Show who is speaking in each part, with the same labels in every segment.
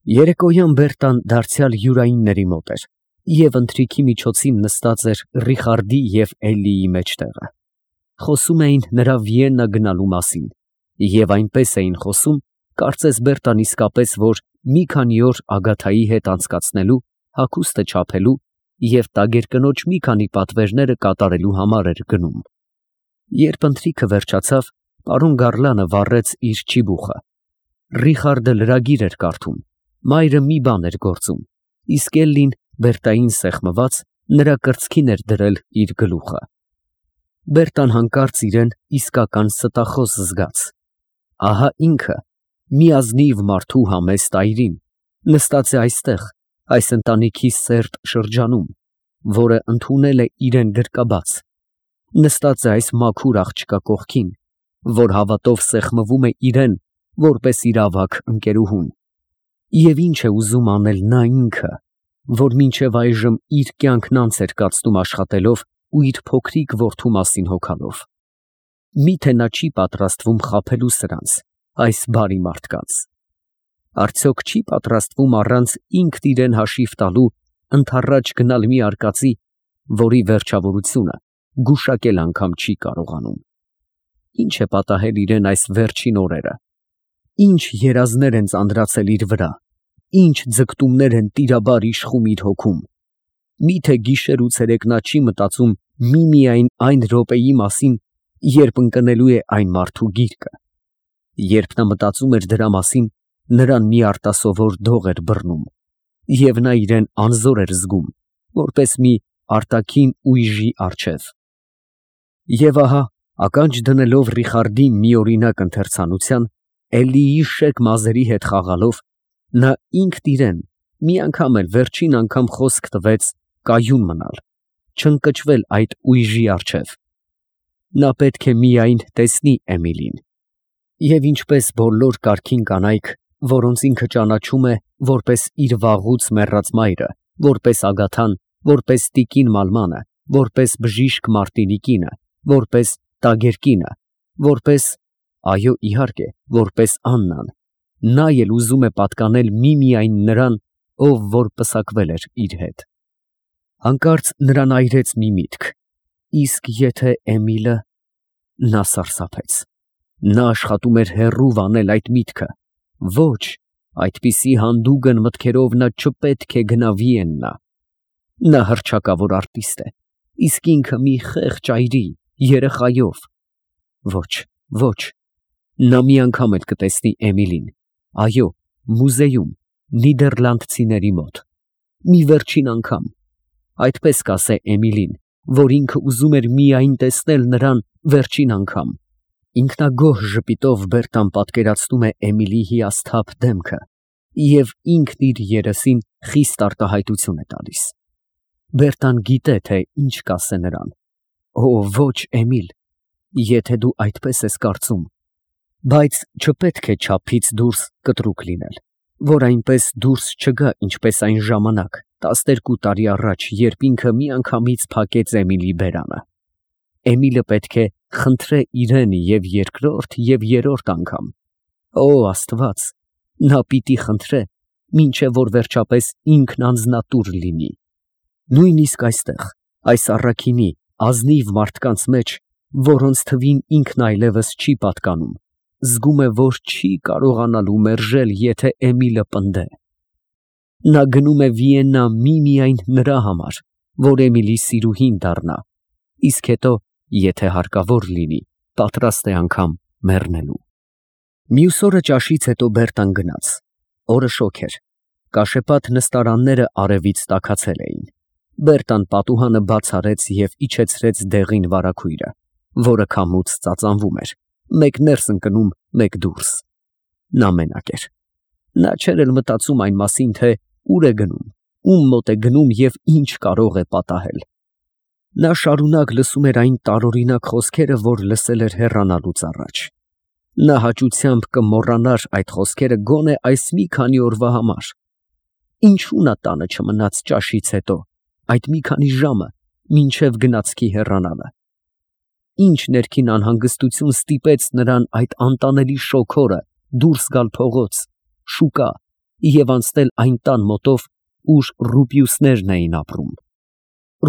Speaker 1: Երեկոյան Բերտան դարձյալ յուրայինների մոտ էր և ընթրիքի միջոցին նստած էր Ռիխարդի և Էլլիի մեջտեղը. խոսում էին նրա Վիեննա գնալու մասին և այնպես էին խոսում, կարծես Բերտան իսկապես որ մի քանի օր Ագաթայի հետ անցկացնելու, հագուստը չափելու և տագերկնոջ մի քանի պատվերները կատարելու համար էր գնում։ Երբ ընթրիքը վերջացավ, պարոն Գառլանը վառեց իր չիբուխը։ Ռիխարդը լրագիր էր կարդում, մայրը մի բան էր գործում, իսկ Էլլին, Բերտային սեղմված, նրա կրծքին էր դրել իր գլուխը։ Բերտան հանկարծ իրեն իսկական ստախոս զգաց։ Ահա ինքը, մի ազնիվ մարդու համեստ այրին, նստած է այստեղ, այս ընտանիքի սերտ շրջանում, որը ընդունել է իրեն գրկաբաց, նստած է այս մաքուր աղջկա կողքին, որ հավատով սեղմվում է իրեն, որպես իր ավագ ընկերուհուն։ Եվ ինչ է ուզում անել նա ինքը, որ մինչև այժմ իր կյանքն անց էր կացնում աշխատելով ու իր փոքրիկ որդու մասին հոգալով։ Միթե նա չի պատրաստվում խաբելու սրանց, այս բարի մարդկանց։ Արդյոք չի պատրաստվում առանց ինքն իրեն հաշիվ տալու ընդառաջ գնալ մի արկածի, որի վերջավորությունը գուշակել անգամ չի կարողանում։ Ինչ է պատահել իրեն այս վերջին օրերը, ինչ երազներ են ծանրացել իր վրա, ինչ ձգտումներ են տիրաբար իշխում իր հոգում։ Միթե գիշեր ու ցերեկ նա չի մտածում միմիայն այն րոպեի մասին, երբ ընկնելու է այն մարդու գիրկը։ Երբ նա մտածում էր դրա մասին, նրան մի արտասովոր դող էր բռնում, և նա իրեն անզոր էր զգում, որպես մի արտաքին ուժի առջև։ Եվ ահա, ականջ դնելով Ռիխարդի միօրինակ ընթերցանության, Էլլիի շեկ մազերի հետ խաղալով, նա ինքն իրեն մի անգամ էլ վերջին անգամ խոսք տվեց կայուն մնալ, չընկճվել այդ ուժի առջև։ Նա պետք է միայն տեսնի Էմիլին։ Եվ ինչպես բոլոր կարգին կանայք, որոնց ինքը ճանաչում է որպես իր վաղուց մեռած մայրը, որպես Ագաթան, որպես տիկին Մալմանը, որպես բժիշկ Մարտինի կինը, որպես տագերկինը, որպես, այո, իհարկե, որպես Աննան, նա էլ ուզում է պատկանել միմիայն նրան, ով որ պսակվել էր իր հետ։ Հանկարծ նրան այրեց մի միտք. իսկ եթե Էմիլը… Նա սարսափեց։ Նա աշխատում էր հեռու վանել այդ միտքը։ Ոչ, այդպիսի հանդուգն մտքերով նա չպետք է գնա Վիեննա։ Նա հռչակավոր արտիստ է, իսկ ինքը մի խեղճ այրի, երեխայով։ Ոչ, ոչ, նա մի անգամ էլ կտեսնի Էմիլին, այո, մուզեում, նիդերլանդցիների մոտ, մի վերջին անգամ, այդպես կասե Էմիլին, որ ինքը ուզում էր միայն տեսնել նրան վերջին անգամ։ Ինքնագոհ ժպիտով Բերտան պատկերացնում է Էմիլի հիասթափ դեմքը և ինքն իր երեսին խիստ արտահայտություն է տալիս։ Բերտան գիտե, թե ինչ կասե նրան։ Օ, ոչ, Էմիլ, եթե դու այդպես ես կարծում, բայց չպետք է չափից դուրս կտրուկ լինել, որ այնպես դուրս չգա, ինչպես այն ժամանակ, 12 տարի առաջ, երբ ինքը միանգամից փակեց Էմիլի բերանը։ Էմիլը պետք է խնդրե իրեն և երկրորդ և երրորդ անգամ։ Օ, Աստված, նա պիտի խնդրե, մինչև որ վերջապես ինքն անձնատուր լինի։ Նույնիսկ այստեղ, այս առաքինի, ազնիվ մարդկանց մեջ, որոնց թվին ինքն այլևս չի պատկանում, զգում է, որ չի կարողանալու մերժել, եթե Էմիլը պնդե։ Նա գնում է Վիեննա միմիայն նրա համար, որ Էմիլի սիրուհին դառնա, իսկ հետո, եթե հարկավոր լինի, պատրաստ է անգամ մեռնելու։ Մյուս օրը ճաշից հետո Բերտան գնաց։ Օրը շոգ էր։ Կաշեպատ նստարանները արևից տաքացել էին։ Բերտան պատուհանը բաց արեց և իջեցրեց դեղին վարագույրը, որը քամուց ծածանվում էր, մեկ ներս ընկնում, մեկ դուրս։ Նա մենակ էր։ Նա չէր էլ մտածում այն մասին, թե ուր է գնում, ում մոտ է գնում և ինչ կարող է պատահել։ Նա շարունակ լսում էր այն տարօրինակ խոսքերը, որ լսել էր հեռանալուց առաջ։ Նա հաճությամբ կմոռանար այդ խոսքերը գոնե այս մի քանի օրվա համար։ Ինչու նա տանը չմնաց ճաշից հետո, այդ մի քանի ժամը, մինչև գնացքի հեռանալը։ Ինչ ներքին անհանգստություն ստիպեց նրան այդ անտանելի շոգ օրը դուրս գալ փողոց, շուկա, և անցնել այն տան մոտով, ուր Ռուպիուսներն էին ապրում։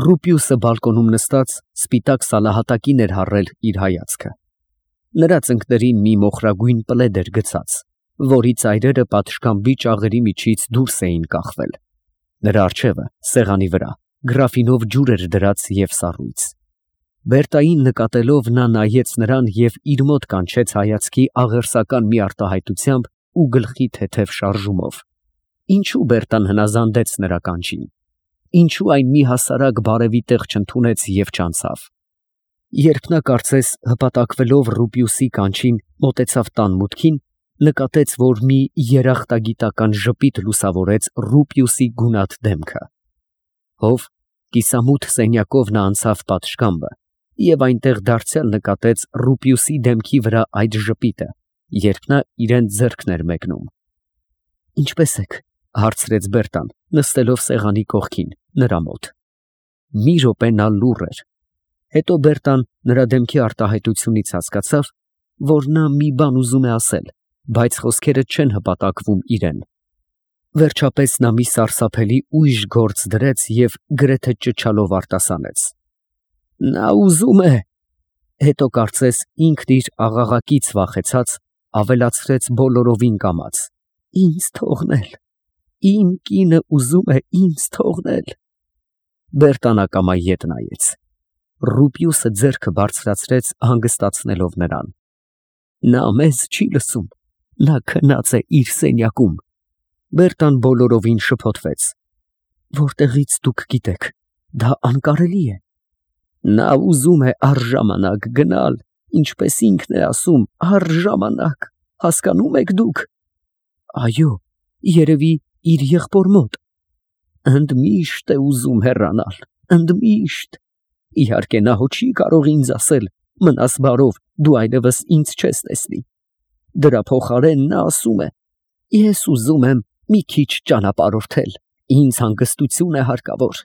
Speaker 1: Ռուպիուսը բալկոնում նստած սպիտակ սալահատակին էր հառել իր հայացքը։ Նրա ծնկներին մի մոխրագույն պլեդ էր գցած, որի ծայրերը պատշգամբի ճաղերի միջից դուրս էին կախվել։ Նրա առջևը, սեղանի վրա, գրաֆինով ջուր էր դրած և սառույց։ Բերտային նկատելով նա նայեց նրան և իր մոտ կանչեց հայացքի աղերսական մի արտահայտությամբ ու գլխի թեթև շարժումով։ Ինչու Բերտան հնազանդեց նրա կանչին։ Ինչու այն մի հասարակ բարևի տեղ չընդունեց և չանցավ։ Երբ նա կարծես հպատակվելով Ռուպիուսի կանչին մոտեցավ տան մուտքին, նկատեց, որ մի երախտագիտական ժպիտ լուսավորեց Ռուպիուսի գունատ դեմքը։ Հով կիսամութ սենյակով նա անցավ պատշգամբը և այնտեղ դարձյալ նկատեց Ռուպիուսի դեմքի վրա այդ ժպիտը, երբ նա իրան ձեռքն էր մեկնում։ «Ինչպե՞ս եք», հարցրեց Բերտան, նստելով սեղանի կողքին, նրա մոտ։ Մի րոպե նա լուռ էր։ Հետո Բերտան նրա դեմքի արտահայտությունից հասկացավ, որ նա մի բան ուզում է ասել, բայց խոսքերը չեն հպատակվում իրան։ Վերջապես նա մի սարսափելի ույժ գործ դրեց և գրեթե ճչալով արտասանեց. «Նա ուզում է…» Հետո կարծես ինքն իր աղաղակից վախեցած, ավելացրեց բոլորովին կամաց. «Ինձ թողնել… Իմ կինը ուզում է ինձ թողնել…»։ Բերտան ակամա ետ նայեց։ Ռուպիուսը ձեռքը բարձրացրեց հանգստացնելով նրան։ «Նա մեզ չի լսում, նա քնած է իր սենյակում»։ Բերտան բոլորովին շփոթվեց։ «Որտեղից դուք գիտեք, դա անկարելի է»։ «Նա ուզում է առժամանակ գնալ, ինչպես ինքն է ասում, առժամանակ, հասկանում եք դուք»։ «Այո, երևի իր եղբոր մոտ»։ «Ընդմիշտ է ուզում հեռանալ, ընդմիշտ։ Իհարկե նա հո չի կարող ինձ ասել, մնաս բարով, դու այլևս ինձ չես տեսնի։ Դրա փոխարեն նա ասում է, ես ուզում եմ մի քիչ ճանապարհորդել, ինձ հանգստություն է հարկավոր,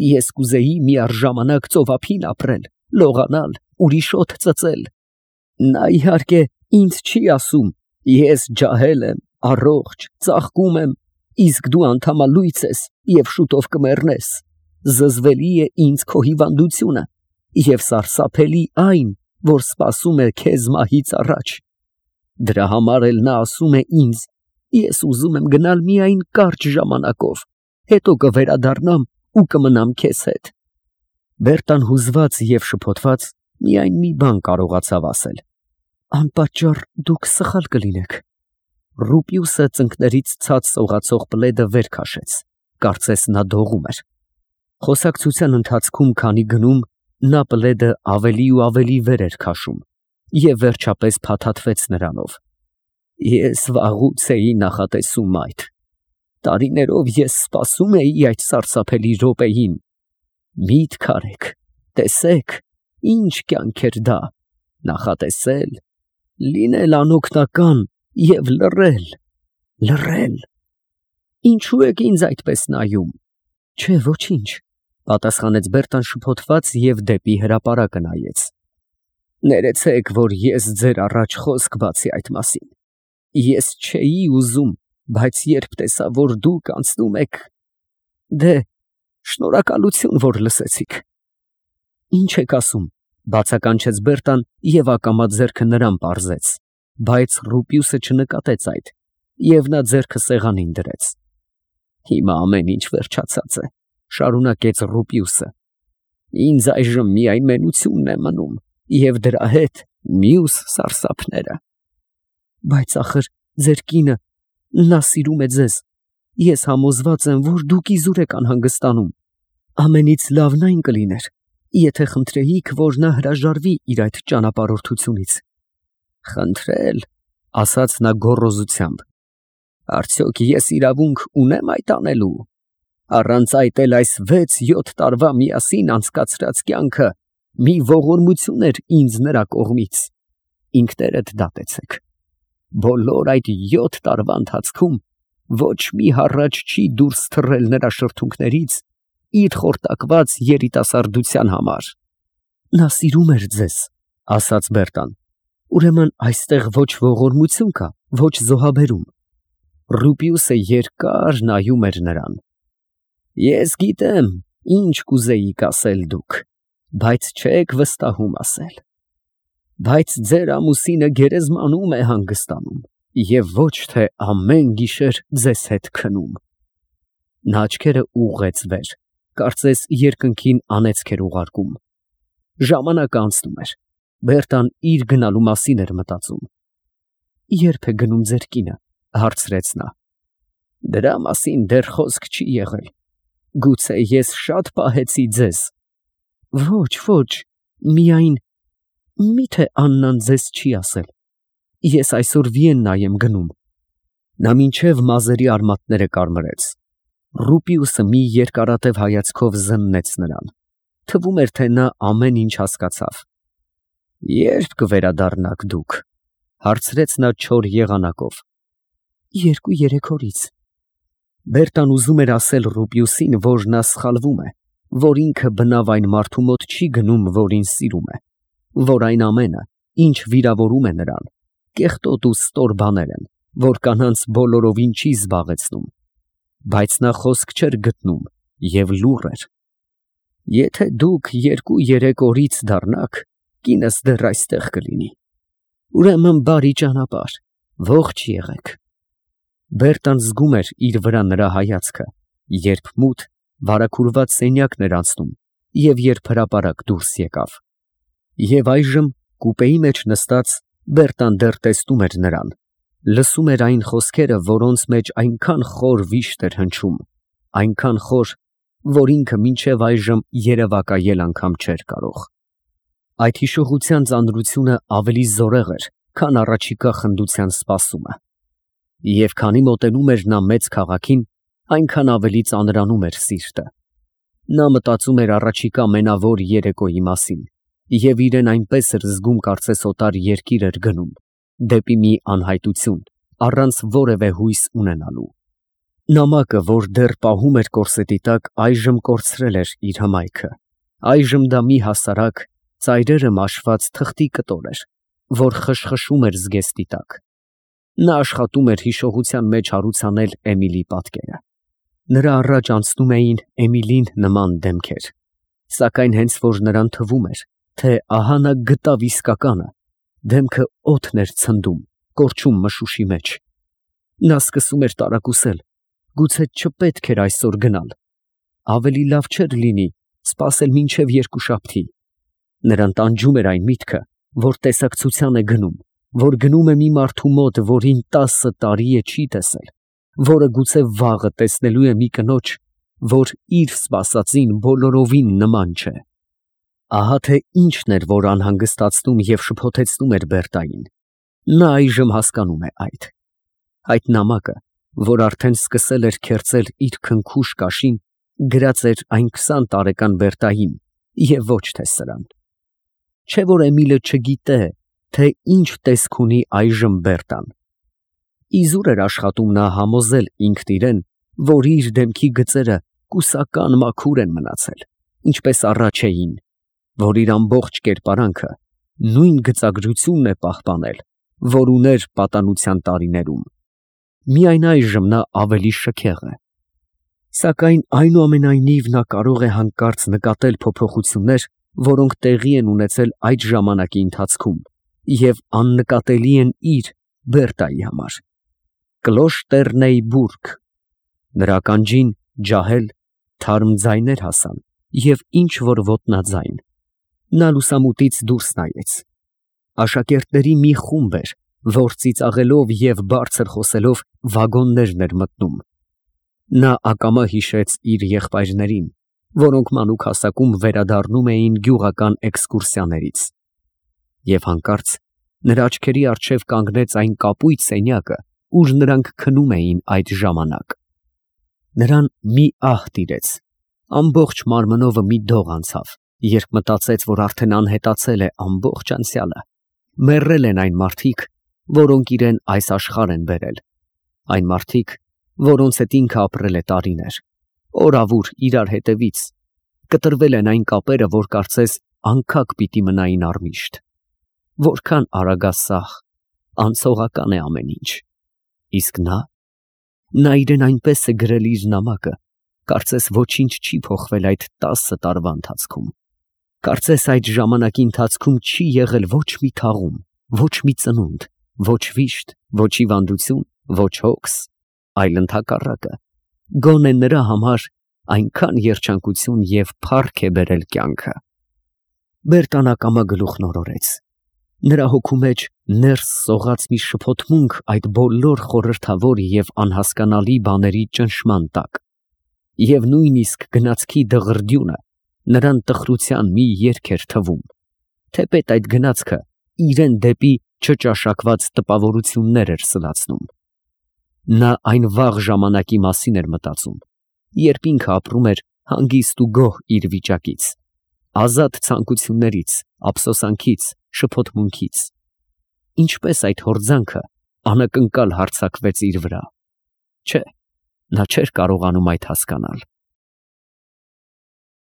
Speaker 1: ես կուզեի միառժամանակ ծովափին ապրել, լողանալ, ուրիշ օդ ծծել։ Նա իհարկե ինձ չի ասում, ես ջահել եմ, առողջ, ծաղկում եմ, իսկ դու անդամալույծ ես և շուտով կմեռնես։ Զզվելի է ինձ քո հիվանդությունը և սարսափելի այն, որ սպասում է քեզ մահից առաջ։ Դրա համար էլ նա ասում է ինձ, ես ուզում եմ գնալ միայն կարճ ժամանակով, հետո կվերադառնամ ու կմնամ քեզ հետ»։ Բերտան հուզված և շփոթված միայն մի բան կարողացավ ասել. «Անպատճառ դուք սխալ կլինեք»։ Ռուպիուսը ծնկներից ցած սողացող պլեդը վեր քաշեց, կարծես նա դողում էր։ Խոսակցության ընթացքում քանի գնում, նա պլեդը ավելի ու ավելի վեր էր քաշում և վերջապես փաթաթվեց նրանով։ «Ես վաղուց էի նախատեսում այդ։ Տարիներով ես սպասում էի այդ սարսափելի րոպեին։ Միտք արեք, տեսեք, ինչ կյանք էր դա, նախատեսել, լինել անօգնական և լռել, լռել… Ինչու եք ինձ այդպես նայում»։ «Չէ, ոչինչ», պատասխանեց Բերտան շփոթված և դեպի հրապարակը նայեց։ «Ներեցեք, որ ես ձեր առաջ խոսք բացի այդ մասին։ Ես չէի ուզում, բայց երբ տեսա, որ դուք անցնում եք… Դե, շնորհակալություն, որ լսեցիք»։ «Ինչ եք ասում», բացականչեց Բերտան և ակամա ձեռքը նրան պարզեց, բայց Ռուպիուսը չնկատեց այդ, և նա ձեռքը սեղանին դրեց։ «Հիմա ամեն ինչ վերջացած է», շարունակեց Ռուպիուսը։ «Ինձ այժմ միայն մենությունն է մնում և դրա հետ մյուս սարսափները»։ «Բայց ախր ձեր կինը… նա սիրում է ձեզ… Ես համոզված եմ, որ դուք իզուր եք անհանգստանում… Ամենից լավն այն կլիներ, եթե խնդրեիք, որ նա հրաժարվի իր այդ ճանապարհորդությունից»։ «Խնդրել», ասաց նա գոռոզությամբ, «արդյոք ես իրավունք ունեմ այդ անելու։ Առանց այդ էլ այս 6-7 տարվա միասին անցկացրած կյանքը մի ողորմություն էր ինձ նրա կողմից։ Ինքներդ դատեցեք։ Բոլոր այդ 7 տարվա ընթացքում ոչ մի հառաչ չի դուրս թռել նրա շրթունքներից իր խորտակված երիտասարդության համար»։ «Նա սիրում էր ձեզ», ասաց Բերտան։ «Ուրեմն այստեղ ոչ ողորմություն կա, ոչ զոհաբերում»։ Ռուպիուսը երկար նայում էր նրան։ Ես գիտեմ, ինչ կուզեիք ասել դուք, բայց չեք վստահում ասել։ Բայց ձեր ամուսինը գերեզմանում է հանգստանում և ոչ թե ամեն գիշեր ձեզ հետ քնում։ Նա աչքերը ուղղեց վեր, կարծես երկնքին անեծք էր ուղարկում։ Ժամանակը անցնում էր։ Բերտան իր գնալու մասին էր մտածում։ Ե՞րբ է գնում ձեր կինը, հարցրեց նա։ Դրա մասին դեռ խոսք չի եղել։ Գուցե ես շատ պահեցի ձեզ։ Ոչ, միայն միթե Աննան ձեզ չի ասել։ Ես այսօր Վիեննա եմ գնում։ Նա մինչև մազերի արմատները կարմրեց։ Ռուպիուսը մի երկարատև հայացքով զննեց նրան։ Թվում էր, թե նա ամեն ինչ հասկացավ։ Ե՞րբ կվերադառնաք դուք, հարցրեց նա չոր եղանակով։ 2-3 օրից։ Բերտան ուզում էր ասել Ռուպիուսին, որ նա սխալվում է, որ ինքը բնավ այն մարդու մոտ չի գնում, որին սիրում է, որ այն ամենը, ինչ վիրավորում է նրան, կեղտոտ ու ստոր բաներ են, որ կանանց բոլորովին չի զբաղեցնում, բայց նա խոսք չէր գտնում և լուռ էր։ Եթե դուք 2-3 օրից դառնաք, կինս դեռ այստեղ կլինի։ Ուրեմն բարի ճանապարհ, ողջ եղեք։ Բերտան զգում էր իր վրա նրա հայացքը, երբ մութ, վարագուրված սենյակն էր անցնում և երբ հրապարակ դուրս եկավ։ Եվ այժմ կուպեի մեջ նստած Բերտան դեռ տեսնում էր նրան, լսում էր այն խոսքերը, որոնց մեջ այնքան խոր վիշտ էր հնչում, այնքան խոր, որ ինքը մինչև այժմ երևակայել անգամ չէր կարող։ Այդ հիշողության ծանրությունը ավելի զորեղ էր, քան առաջիկա խնդության սպասումը։ Եվ քանի մոտենում էր նա մեծ քաղաքին, այնքան ավելի ծանրանում էր սիրտը։ Նա մտածում էր առաջիկա մենավոր երեկոյի մասին, և իրեն այնպես էր զգում, կարծես օտար երկիր էր գնում, դեպի մի անհայտություն, առանց որևէ հույս ունենալու։ Նամակը, որ դեռ պահում էր կորսետի տակ, այժմ կորցրել էր իր հմայքը։ Այժմ դա մի հասարակ, ծայրերը մաշված թղթի կտոր էր, որ խշխշում էր զգեստի տակ։ Նա աշխատում էր հիշողության մեջ հարուցանել Էմիլի պատկերը։ Նրա առաջ անցնում էին Էմիլին նման դեմքեր, սակայն հենց որ նրան թվում էր, թե ահա նա գտավ իսկականը, դեմքը օդն էր ցնդում, կորչում մշուշի մեջ։ Նա սկսում էր տարակուսել, գուցե չպետք էր այսօր գնալ։ Ավելի լավ չէր լինի սպասել մինչև երկուշաբթի։ Նրան տանջում էր այն միտքը, որ տեսակցության է գնում, որ գնում է մի մարդու մոտ, որին 10 տարի է չի տեսել, որը գուցե վաղը տեսնելու է մի կնոջ, որ իր սպասածին բոլորովին նման չէ։ Ահա թե ինչն էր, որ անհանգստացնում և շփոթեցնում էր Բերտային։ Նա այժմ հասկանում է այդ։ Այդ նամակը, որ արդեն սկսել էր քերծել իր քնքուշ կաշին, գրած էր այն 20 տարեկան Բերտային և ոչ թե սրան։ Չէ՞ որ Էմիլը չգիտե, թե ինչ տեսք ունի այժմ Բերտան։ Իզուր էր աշխատում նա համոզել ինքն իրեն, որ իր դեմքի գծերը կուսական մաքուր են մնացել, ինչպես առաջ էին, որ իր ամբողջ կերպարանքը նույն գծագրությունն է պահպանել, որ ուներ պատանության տարիներում։ Միայն այժմ նա ավելի շքեղ է։ Սակայն այնուամենայնիվ նա կարող է հանկարծ նկատել փոփոխություններ, որոնք տեղի են ունեցել այդ ժամանակի ընթացքում և աննկատելի են իր Բերտայի համար։ Կլոշտեռնեյբուրգ։ Նրա ականջին ջահել, թարմ ձայներ հասան և ինչ որ ոտնաձայն։ Նա լուսամուտից դուրս նայեց։ Աշակերտների մի խումբ էր, որ ծիծաղելով և բարձր խոսելով վագոններն էր մտնում։ Նա ակամա հիշեց իր եղբայրներին, որոնք մանուկ հասակում վերադառնում էին գյուղական էքսկուրսիաներից։ Եվ հանկարծ նրա աչքերի առջև կանգնեց այն կապույտ սենյակը, ուր նրանք քնում էին այդ ժամանակ։ Նրան մի ահ տիրեց, ամբողջ մարմնովը մի դող անցավ, երբ մտածեց, որ արդեն անհետացել է ամբողջ անցյալը, մեռել են այն մարդիկ, որոնք իրեն այս աշխարհ են բերել, այն մարդիկ, որոնց հետ ինքը ապրել է տարիներ, օրավուր իրար հետևից, կտրվել են այն կապերը, որ կարծես անքակ պիտի մնային առմիշտ։ Որքան արագասահ, անցողական է ամեն ինչ։ Իսկ նա Նա իրեն այնպես է գրել իր նամակը, կարծես ոչինչ չի փոխվել այդ 10 տարվա ընթացքում։ Կարծես այդ ժամանակի ընթացքում չի եղել ոչ մի թաղում, ոչ մի ծնունդ, ոչ վիշտ, ոչ հիվանդություն, ոչ հոգս, այլ ընդհակառակը, գոնե նրա համար այնքան երջանկություն և փառք է բերել կյանքը։ Բերտան ակամա գլուխն օրորեց։ Նրա հոգու մեջ ներս սողաց մի շփոթմունք այդ բոլոր խորհրդավոր և անհասկանալի բաների ճնշման տակ, և նույնիսկ գնացքի դղրդյունը նրան տխրության մի երգ էր թվում, թեպետ այդ գնացքը իրան դեպի չճաշակված տպավորություններ էր սլացնում։ Նա այն վաղ ժամանակի մասին էր մտածում, երբ ինքը ապրում էր հանգիստ ու գոհ իր վիճակից, ազատ ցանկություններից, ափսոսանքից, շփոթմունքից։ Ինչպես այդ հորձանքը անակնկալ հարձակվեց իր վրա։ Չէ, նա չէր կարողանում այդ հասկանալ։